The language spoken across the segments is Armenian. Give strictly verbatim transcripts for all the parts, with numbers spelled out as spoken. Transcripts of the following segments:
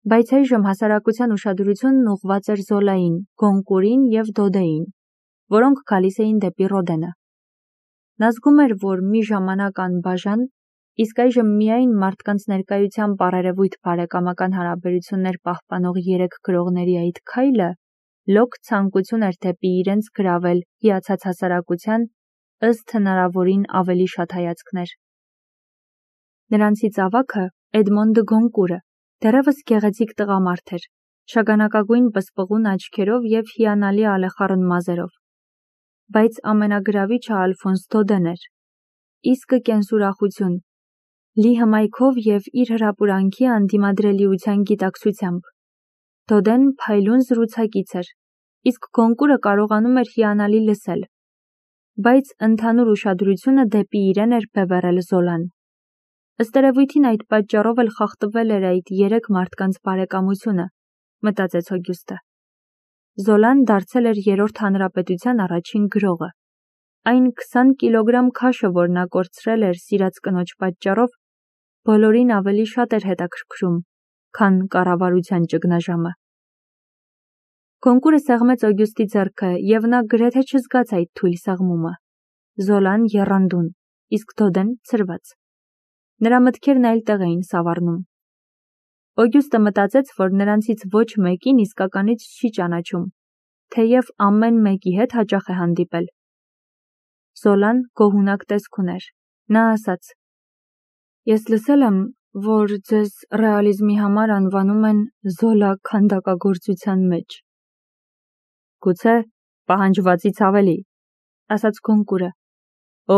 Բայց այժմ հասարակության ուշադրությունն ուղղված էր Զոլային, Գոնկուրին և Դոդեին, որոնք գալիս էին դեպի Ռոդենը։ Նա զգում էր, որ մի ժամանակ անբաժան, իսկ այժմ միայն մարդկանց ներկայությամբ առերևույթ բարեկամական հարաբերություններ պահպանող երեք գրողների այդ քայլը լոկ ցանկություն էր դեպի իրենց գրավել հիացած հասարակության ըստ հնարավորին ավելի շատ հայացքներ։ Նրանցից ավագը Էդմոնդը Գոնկուրը դեռևս գեղեցիկ տղամարդ էր, շագանակագույն պսպղուն աչքերով և հիանալի ալեխառն մազերով։ Բայց ամենագրավիչը Ալֆոնս Դոդեն էր, իսկը կենսուրախություն, լի հմայքով և իր հրապուրանքի անդիմադրելիության գիտակցությամբ։ Դոդեն փայլուն զրուցակից էր, իսկ Գոնկուրը կարողանում էր հիանալի լսել, բայց ընդհանուր ուշադրությունը դեպի իրեն էր բևեռել Զոլան։ Ըստ երևույթին այդ պատճառով էլ խախտվել էր այդ երեք մարդկանց բարեկամությունը, մտածեց Օգյուստը։ Զոլան դարձել էր Երրորդ հանրապետության առաջին գրողը։ Այն քսան կիլոգրամ քաշը, որ նա կորցրել էր սիրած կնոջ պատճառով, բոլորին ավելի շատ էր հետաքրքրում, քան կառավարության ճգնաժամը։ Գոնկուրը սեղմեց Օգյուստի ձեռքը, և նա գրեթե չզգաց այդ թույլ սեղմումը։ Զոլան եռանդուն, իսկ Դոդեն ցրված։ Նրա մտքերն այլ տեղ էին սավառնում։ Օգյուստը մտածեց, որ նրանցից ոչ մեկին իսկականից չի ճանաչում, թեև ամեն մեկի հետ հաճախ է հանդիպել։ Զոլան գոհունակ տեսք ուներ։ Նա ասաց. «Ես լսել եմ, որ ձեզ ռեալիզմի համար անվանում են Զոլա քանդակագործության մեջ»։ «Գուցե պահանջվածից ավելի», ասաց Գոնկուրը։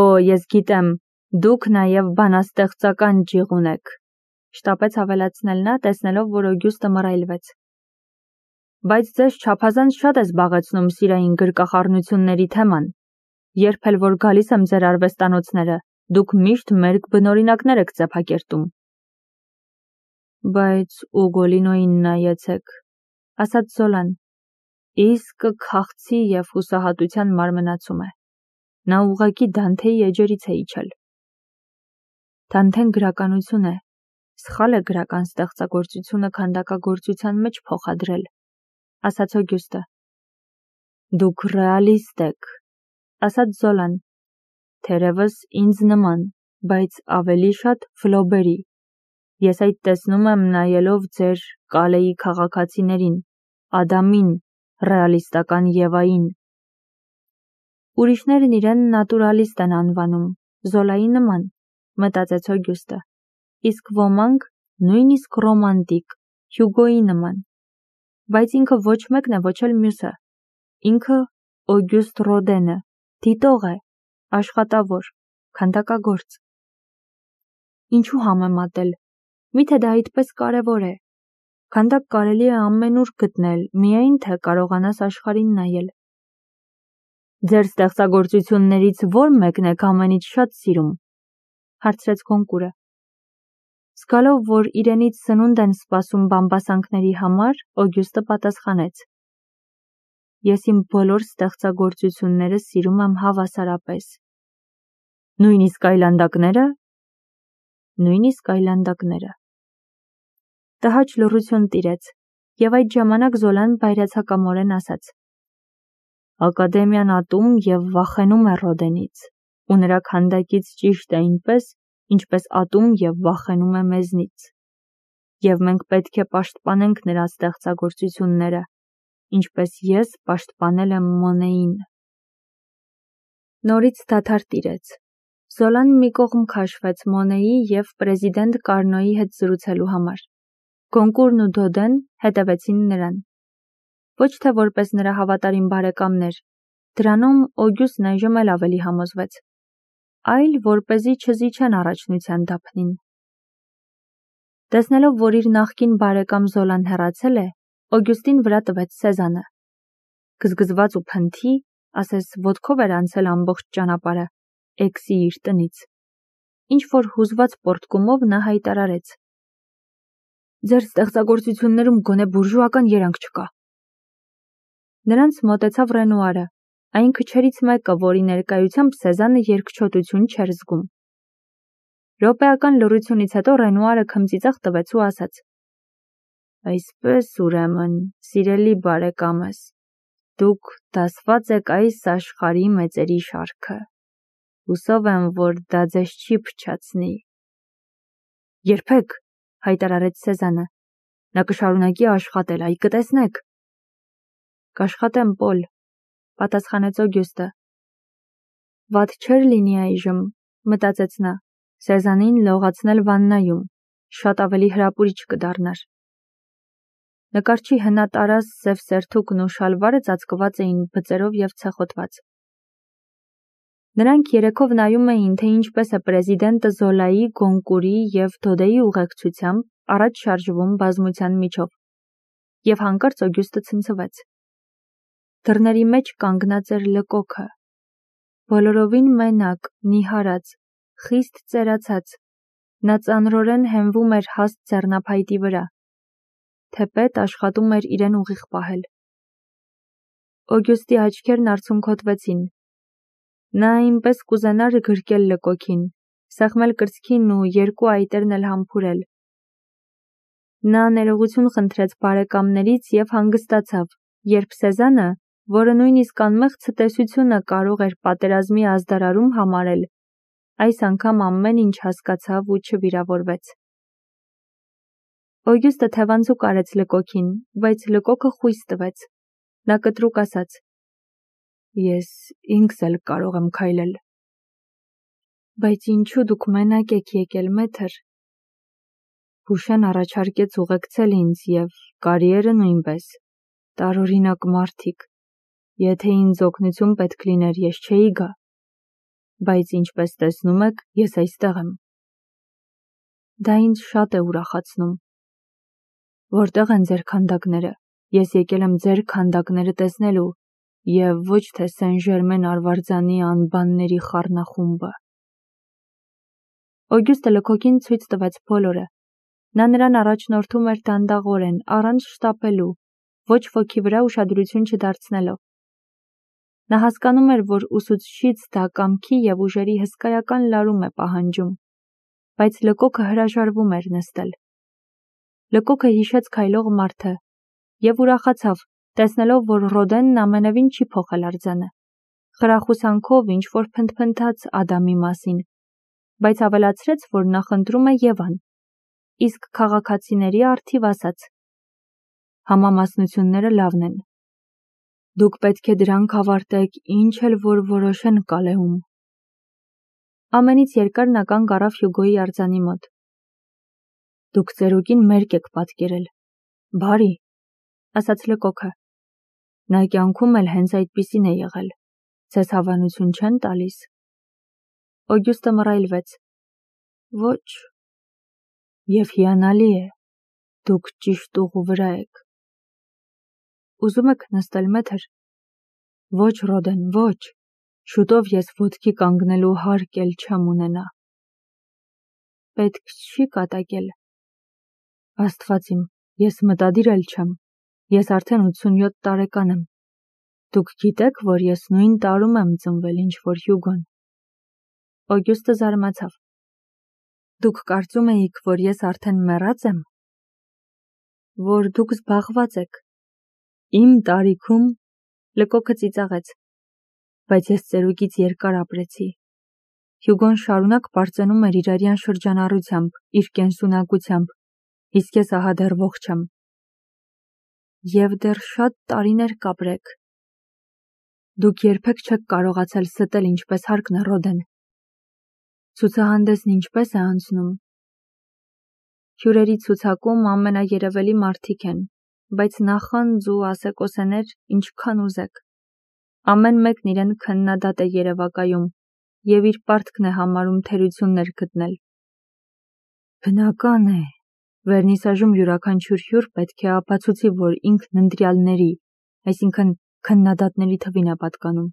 «Օ, ես գիտեմ, դուք նաև բանաստեղծական ջիղ ունեք», շտապեց ավելացնել նա, տեսնելով, որ Օգյուստը մռայլվեց։ «Բայց ձեզ չափազանց շատ է զբաղեցնում սիրային գրկախառնությունների թեման։ Երբ էլ որ գալիս եմ ձեր արվեստանոցները, դուք միշտ մերկ բնօրինակներ եք ծեփակերտում»։ «Բայց Ուգոլինոյին նայեցեք», ասաց Զոլան։ «Իսկը քաղցի և հուսահատության մարմնացում է։ Նա ուղղակի Դանթեի էջերից է իջել»։ Դանթեն գրականություն է, սխալ է գրական ստեղծագործությունը քանդակագործության մեջ փոխադրել, ասաց Օգյուստը։ «Դուք ռեալիստ եք», ասաց Զոլան, «թերևս ինձ նման, բայց ավելի շատ Ֆլոբերի։ Ես այդ տեսնում եմ նայելով ձեր Կալեի քաղաքացիներին, Ադամին, ռեալիստական Եվային»։ Ուրիշներն իրեն նատուրալիստ են անվանում, Զոլայի նման, մտածեց Օգյուստը, իսկ ոմանք նույնիսկ ռոմանտիկ, Հյուգոյի նման։ Բայց ինքը ոչ մեկն է, ոչ էլ մյուսը։ Ինքը Օգյուստ Ռոդենը, դիտող է, աշխատավոր, քանդակագործ։ Ինչու համեմատել, միթե դա այդպես կարևոր է։ Քանդակ կարելի է ամենուր գտնել, միայն թե կարողանաս աշխարհին նայել։ Ձեր ստեղծագործություններից ո՞ր մեկն եք ամենից շատ սիրում, հարցրեց Գոնկուրը։ Զգալով, որ իրենից սնունդ են սպասում բամբասանքների համար, Օգյուստը պատասխանեց. Ես իմ բոլոր ստեղծագործությունները սիրում եմ հավասարապես։ Նույնիսկ այլանդակները։ Նույնիսկ այլանդակները։ Տհաճ լռություն տիրեց, և այդ ժամանակ Զոլան բայրացակամորեն ասաց. Ակադեմիան ատում և վախենում է Ռոդենից, ու նրա քանդակից ճիշտ է այնպես, ինչպես ատում և վախենում է մեզնից։ Եվ մենք պետք է պաշտպանենք նրա ստեղծագործությունները, ինչպես ես պաշտպանել եմ Մոնեին։ Նորից դադար տիրեց։ Զոլան մի կողմ քաշվեց Մոնեի և պրեզիդենտ Կարնոյի հետ զրուցելու համար։ Գոնկուրն ու Դոդեն հետևեցին նրան։ Ոչ թե որպես նրա հավատարիմ բարեկամներ, դրանում Օգյուստն այժմ էլ ավելի համոզվեց, այլ որպեսզի չզիջեն առաջնության դափնին։ Տեսնելով, որ իր նախկին բարեկամ Զոլան հեռացել է, Օգյուստին վրա տվեց սեզանը։ Գզգզված ու փնթի, ասես ոտքով էր անցել ամբողջ ճանապարհը, Էքսի իր տնից։ Ինչ-որ հուզված պոռթկումով նա հայտարարեց. Ձեր ստեղծագործություններում գոնե բուրժուական երանգ չկա։ Նրանց մոտեցավ Ռենուարը, այն քչերից մեկը, որի ներկայությամբ Սեզանը երկչոտություն չէր զգում։ Րոպեական լռությունից հետո Ռենուարը քմծիծաղ տվեց ու ասաց. Այսպես ուրեմն, սիրելի բարեկամս, դուք դասված եք այս աշխարհի մեծերի շարքը։ Հուսով եմ, որ դա ձեզ չի փչացնի։ Երբեք, հայտարարեց Սեզանը, նա կշարունակի աշխատել, այ կտեսնեք։ Կաշխատեմ, Պոլ, պատասխանեց Օգյուստը։ Վատ չէր լինի այժմ, մտածեց նա, Սեզանին լողացնել վաննայում, շատ ավելի հրապուրիչ կդառնար։ Նկարչի հնատարած սև սերթուկն ու շալվարը ծածկված էին բծերով և ցեխոտված։ Նրանք երեքով նայում էին, թե ինչպես է պրեզիդենտը Զոլայի, Գոնկուրի և Դոդեի ուղեկցությամբ առաջ շարժվում բազմության միջով, և հանկարծ Օգյուստը ցնցվեց։ Դռների մեջ կանգնած էր Լկոքը, բոլորովին մենակ, նիհարած, խիստ ծերացած, նա ծանրորեն հենվում էր հաստ ձեռնափայտի վրա, թեպետ աշխատում էր իրեն ուղիղ պահել։ Օգյուստի աչքերն արցունքոտվեցին։ Նա այնպես կուզենար գրկել Լկոքին, սեղմել կրծքին ու երկու այտերն էլ համբուրել։ Նա ներողություն խնդրեց բարեկամներից և հանգստացավ, երբ Սեզանը, որը նույնիսկ անմեղ ցտեսությունը կարող էր պատերազմի ազդարարում համարել, այս անգամ ամեն ինչ հասկացավ ու չվիրավորվեց։ Օգյուստը թևանցուկ արեց Լկոքին, բայց Լկոքը խույս տվեց։ Նա կտրուկ ասաց. Ես ինքս էլ կարող եմ քայլել։ Բայց ինչու դուք մենակ եք եկել, մեթր։ Հուշեն առաջարկեց ուղեկցել ինձ և կարիերը նույնպես, տարօրինակ մարդիկ, եթե ինձ օգնություն պետք լիներ, ես չէի գա, բայց ինչպես տեսնում եք, ես այստեղ եմ։ Դա ինձ շատ է ուրախացնում։ Որտեղ են ձեր քանդակները, ես եկել եմ ձեր քանդակները տեսնելու և ոչ թե Սեն Ժերմեն արվարձանի անբանների խառնախումբը։ Օգյուստը Լկոքին ցույց տվեց բոլորը։ Նա նրան առաջնորդում էր դանդաղորեն, առանց շտապելու, ոչ ոքի վրա ուշադրություն չդարձնելով։ Նա հասկանում էր, որ ուսուցչից դա կամքի և ուժերի հսկայական լարում է պահանջում, բայց Լկոքը հրաժարվում էր նստել։ Լկոքը հիշեց քայլող մարդը և ուրախացավ, տեսնելով, որ Ռոդենն ամենևին չի փոխել արձանը։ Խրախուսանքով ինչ-որ փնթփնթաց Ադամի մասին, բայց ավելացրեց, որ նա խնդրում է Եվան, իսկ քաղաքացիների առթիվ ասաց. Համամասնությունները լավն են։ Դուք պետք է դրանք ավարտեք, ինչ էլ որ որոշեն Կալեում։ Ամենից երկար նա կանգ առավ Հյուգոյի արձանի մոտ։ Դուք ծերուկին մերկ եք պատկերել, բարի, ասաց Լկոքը։ Նա կյանքում էլ հենց այդպիսին է եղել, ձեզ հավանություն չեն տալիս։ Օգյուստը մռայլվեց։ Ոչ։ Եվ հիանալի է, դուք ճիշտ ուղու վրա եք։ Ուզում եք նստել, մեթր։ Ոչ, Ռոդեն, ոչ, շուտով ես ոտքի կանգնելու հարկ էլ չեմ ունենա։ Պետք չի կատակել։ Աստված իմ, ես մտադիր էլ չեմ, ես արդեն ութսունյոթ տարեկան եմ։ Դուք գիտեք, որ ես նույն տարում եմ ծնվել, ինչ որ Հյուգոն։ Օգյուստը զարմացավ։ Դուք կարծում էիք, որ ես արդեն մեռած եմ։ Որ դուք զբաղված եք։ Իմ տարիքում, Լկոքը ծիծաղեց, բայց ես ծերուկից երկար ապրեցի։ Հյուգոն շարունակ բարձանում էր իր արյան շրջանառությամբ, իր կենսունակությամբ, իսկ ես ահա դեռ ողջ եմ։ Եվ դեռ շատ տարիներ կապրեք։ Դուք երբեք չեք կարողացել ստել ինչպես հարկն է, Ռոդեն։ Ցուցահանդեսն ինչպես է անցնում։ Հյուրերի ցուցակում ամենաերևելի մարդիկ են, բայց նախանձ ու ասեկոսեներ ինչքան ուզեք։ Ամեն մեկն իրեն քննադատ է երևակայում և իր պարտքն է համարում թերություններ գտնել։ Բնական է, վերնիսաժում յուրաքանչյուր հյուր պետք է ապացուցի, որ ինքն ընտրյալների, այսինքն քննադատների թվին է պատկանում,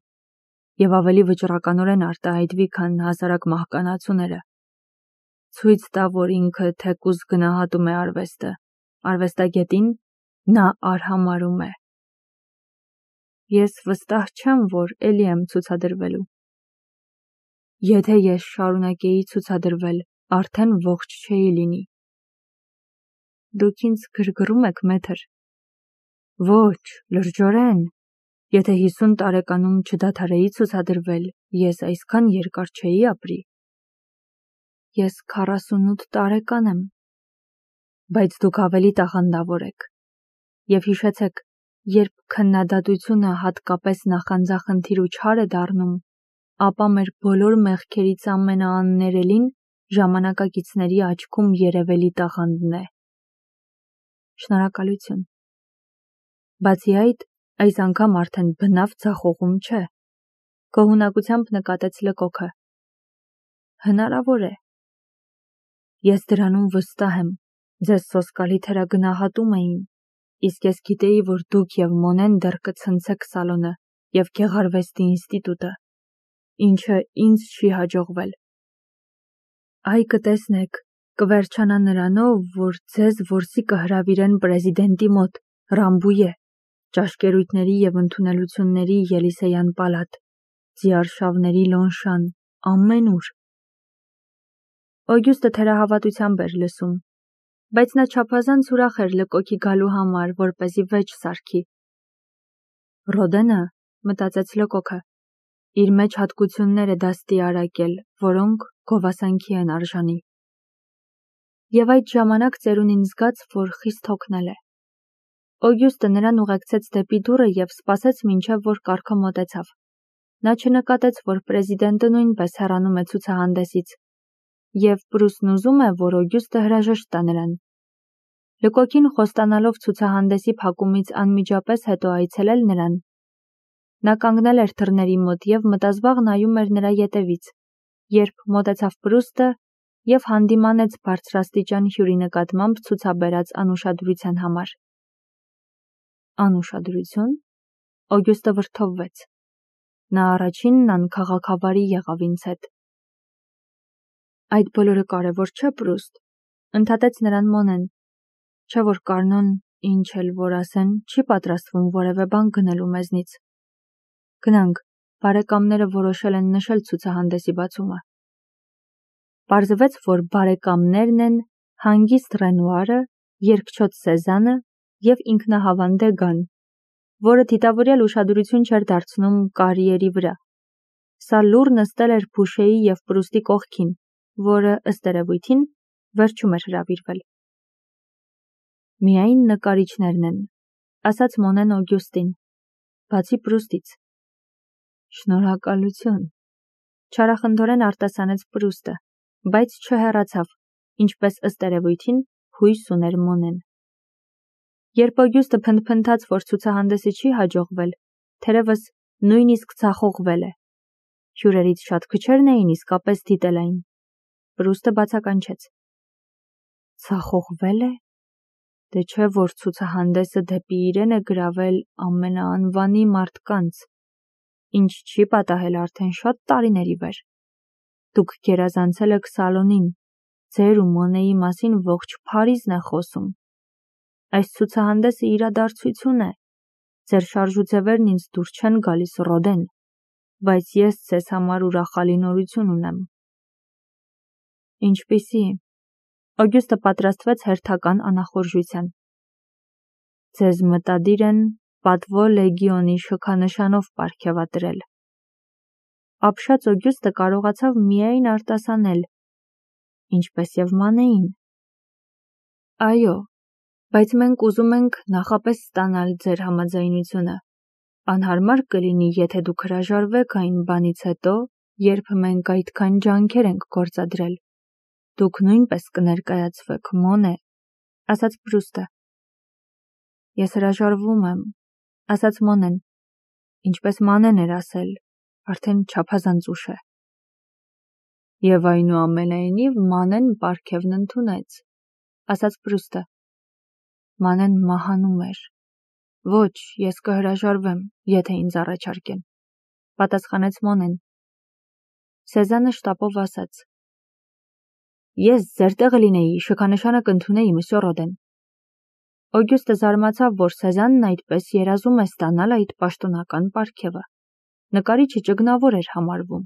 և ավելի վճռականորեն արտահայտվի, քան հասարակ մահկանացուները։ Ցույց տա, որ ինքը թեկուզ գնահատում է արվեստը, արվեստագետին նա արհամարհում է։ Ես վստահ չեմ, որ էլի եմ ցուցադրվելու։ Եթե ես շարունակեի ցուցադրվել, արդեն ողջ չէի լինի։ Դուք ինձ գրգռում եք, մեթր։ Ոչ, լրջորեն։ Եթե հիսուն տարեկանում չդադարեի ցուցադրվել, ես այսքան երկար չէի ապրի։ Ես քառասունութ տարեկան եմ։ Բայց դուք ավելի տաղանդավոր եք։ Եվ հիշեցեք, երբ քննադատությունը հատկապես նախանձախնդիր ու չար է դառնում, ապա մեր բոլոր մեղքերից ամենաաններելին ժամանակակիցների աչքում երևելի տաղանդն է։ Շնորհակալություն։ Բացի այդ, այս անգամ արդեն բնավ ձախողում չէ։ Քո հունակությամբ նկատեց Լկոքը։ Հնարավոր է։ Ես դրանում վստահ եմ, ձեզ սոսկալի թերագնահատում էին, իսկ ես գիտեի, որ դուք և Մոնեն դեռ կցնցեք սալոնը և գեղարվեստի ինստիտուտը, ինչը ինձ չի հաջողվել։ Այ կտեսնեք, կվերջանա նրանով, որ ձեզ որսի կհրավիրեն պրեզիդենտի մոտ, Ռամբույե, ճաշկերույթների և ընդունելությունների Ելիսեյան պալատ, ձիարշավների Լոնշան, ամենուր։ Օգյուստը թերահավատությամբ էր լսում, բայց նա չափազանց ուրախ էր Լկոքի գալու համար, որպեսզի վեճ սարքի։ Ռոդենը, մտածեց Լկոքը, իր մեջ հատկություններ է դաստիարակել, որոնք գովասանքի են արժանի։ Եվ այդ ժամանակ ծերունին զգաց, որ խիստ հոգնել է։ Օգյուստը նրան ուղեկցեց դեպի դուռը և սպասեց մինչև որ կառքը մոտեցավ։ Նա չնկատեց, որ պրեզիդենտը նույնպես հեռանում է ցուցահանդեսից, և Պրուսն ուզում է, որ Օգյուստը հրաժեշտ տա նրան։ Լկոքին խոստանալով ցուցահանդեսի փակումից անմիջապես հետո այցելել նրան, նա կանգնել էր թռների մոտ և մտազբաղ նայում էր նրա ետևից, երբ մոտեցավ Պրուստը և հանդիմանեց բարձրաստիճան հյուրի նկատմամբ ցուցաբերած անուշադրության համար։ Անուշադրություն։ Օգյուստը վրդովվեց։ Նա առաջինն անքաղաքավարի եղավ ինձ հետ։ Այդ բոլորը կարևոր չէ, Պրուստ, ընդհատեց նրան Մոնեն, չէ որ Կարնոն, ինչ էլ որ ասեն, չի պատրաստվում որևէ բան գնելու մեզնից։ Գնանք, բարեկամները որոշել են նշել ցուցահանդեսի բացումը։ Պարզվեց, որ բարեկամներն են հանգիստ Ռենուարը, երկչոտ Սեզանը և ինքնահավան Դեգան, որը թիթավորյալ ուշադրություն չէր դարձնում կարիերի վրա։ Սա լուռ նստել էր Փուշեի և Պրուստի կողքին, որը, ըստ երևույթին, վերջում էր հրավիրվել։ Միայն նկարիչներն են, ասաց Մոնեն Օգյուստին, բացի Պրուստից։ Շնորհակալություն, չարախնդորեն արտասանեց Պրուստը, բայց չհեռացավ, ինչպես ըստ երևույթին հույս ուներ Մոնեն։ Երբ Օգյուստը փնթփնթաց, որ ցուցահանդեսը չի հաջողվել, թերևս նույնիսկ ձախողվել է։ Հյուրերից շատ քչերն էին իսկապես դիտել այն։ Պրուստը բացականչեց։ Ձախողվել է։ Դե չէ որ ցուցահանդեսը դեպի իրեն է գրավել ամենաանվանի մարդկանց, ինչ չի պատահել արդեն շատ տարիների վեր։ Դուք գերազանցել եք սալոնին, ձեր ու Մոնեի մասին ողջ Փարիզն է խոսում։ Այս ցուցահանդեսը իրադարձություն է։ Ձեր շարժուձևերն ինձ դուր չեն գալիս, Ռոդեն, բայց ես ձեզ համար ուրախալի նորություն ունեմ։ Ինչպիսի։ Օգյուստը պատրաստվեց հերթական անախորժության։ Ձեզ մտադիր են պատվո լեգիոնի շքանշանով պարգևատրել։ Ապշած Օգյուստը կարողացավ միայն արտասանել, ինչպես և Մանեին։ Այո, բայց մենք ուզում ենք նախապես ստանալ ձեր համաձայնությունը։ Անհարմար կլինի, եթե դուք հրաժարվեք այն բանից հետո, երբ մենք այդքան ջանքեր ենք գործադրել։ Դուք նույնպես կներկայացվեք, Մոնե, ասաց Պրուստը։ Ես հրաժարվում եմ, ասաց Մոնեն, ինչպես Մանեն էր ասել, արդեն չափազանց ուշ է։ Եվ այնուամենայնիվ Մանեն պարգևն ընդունեց, ասաց Պրուստը։ Մանեն մահանում էր։ Ոչ, ես կհրաժարվեմ, եթե ինձ առաջարկեն, պատասխանեց Մոնեն։ Սեզանը շտապով ասաց. Ես ձեր տեղը լինեի, շքանշանը կընդունեի, մսյո Ռոդեն։ Օգյուստը զարմացավ, որ Սեզանն այդպես երազում է ստանալ այդ պաշտոնական պարգևը։ Նկարիչը ճգնավոր էր համարվում։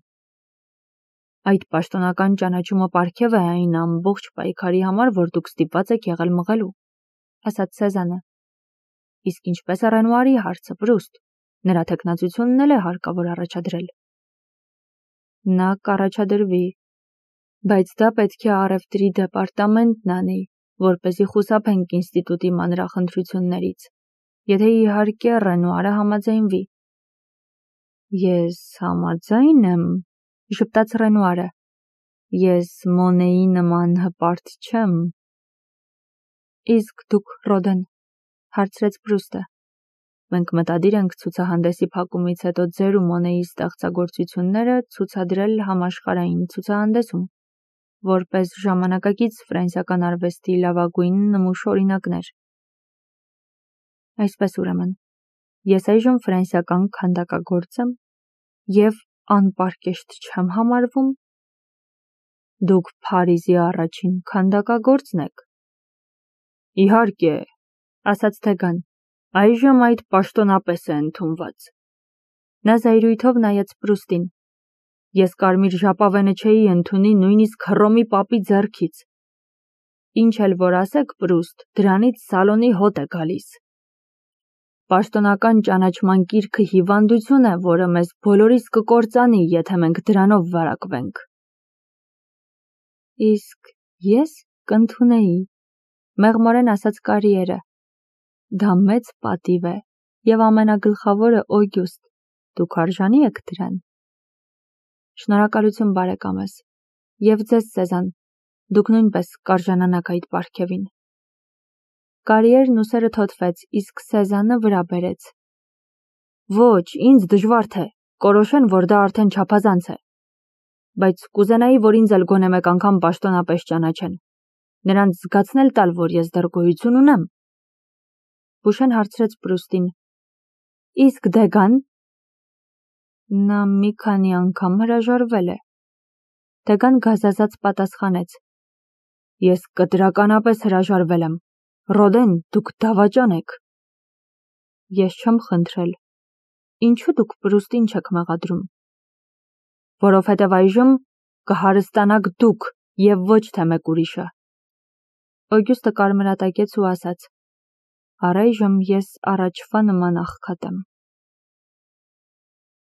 Այդ պաշտոնական ճանաչումը պարգև է այն ամբողջ պայքարի համար, որ դուք ստիպված եք եղել մղելու, ասաց Սեզանը։ Իսկ ինչպես է Ռենուարի հարցը, Պրուստ, նրա թեկնածությունն էլ է հարկավոր առաջադրել։ Նա կառաջադրվի, բայց դա պետք է առևտրի դեպարտամենտն անի, որպեսզի խուսափենք ինստիտուտի մանրախնդրություններից, եթե իհարկե Ռենուարը համաձայնվի։ Ես համաձայն եմ, ժպտաց Ռենուարը։ Ես Մոնեի նման հպարտ չեմ։ Իսկ դուք, Ռոդեն, հարցրեց Պրուստը։ Մենք մտադիր ենք ցուցահանդեսի փակումից հետո ձեր ու Մոնեի ստեղծագործությունները ցուցադրել համաշխարհային ցուցահանդեսում, որպես ժամանակակից ֆրանսիական արվեստի լավագույն նմուշ օրինակներ։ Այսպես ուրեմն, ես այժմ ֆրանսիական քանդակագործ եմ և անպարկեշտ չեմ համարվում։ Դուք Փարիզի առաջին քանդակագործն եք։ Իհարկե, ասաց Դեգան, այժմ այդ պաշտոնապես է ընդունված։ Նա զայրույթով նայեց Պրուստին։ Ես կարմիր ժապավենը չէի ընդունի նույնիսկ Հռոմի պապի ձեռքից։ Ինչ էլ որ ասեք, Պրուստ, դրանից սալոնի հոտ է գալիս։ Պաշտոնական ճանաչման կիրքը հիվանդություն է, որը մեզ բոլորիս կկործանի, եթե մենք դրանով վարակվենք։ Իսկ ես կընդունեի, մեղմորեն ասաց Կարիերը։ Դա մեծ պատիվ է, և ամենագլխավորը Օգյուստ, դուք արժանի եք դրան։ Շնորհակալություն բարեկամս, և ձեզ Սեզան, դուք նույնպես կարժանանաք այդ պարգևին։ Կարիերն ուսերը թոթվեց, իսկ Սեզանը վրա բերեց։ Ոչ, ինձ դժվար թե, կորոշեն, որ դա արդեն չափազանց է։ Բայց կուզենայի, որ ինձ էլ գոնե մեկ անգամ պաշտոնապես ճանաչեն։ Նրանց զգացնել տալ, որ ես դեռ գոյություն ունեմ։ Բուշեն հարցրեց Պրուստին. Իսկ Դեգան։ Նա մի քանի անգամ հրաժարվել է։ Դեգան գազազած պատասխանեց. Ես կտրականապես հրաժարվել եմ։ Ռոդեն, դուք դավաճան եք։ Ես չեմ խնդրել։ Ինչու դուք Պրուստին չեք մեղադրում։ Որովհետև այժմ կհարստանաք դուք և ոչ թե մեկ ուրիշը։ Օգյուստը կարմրատակեց ու ասաց. Առայժմ ես առաջվա նման աղքատ եմ։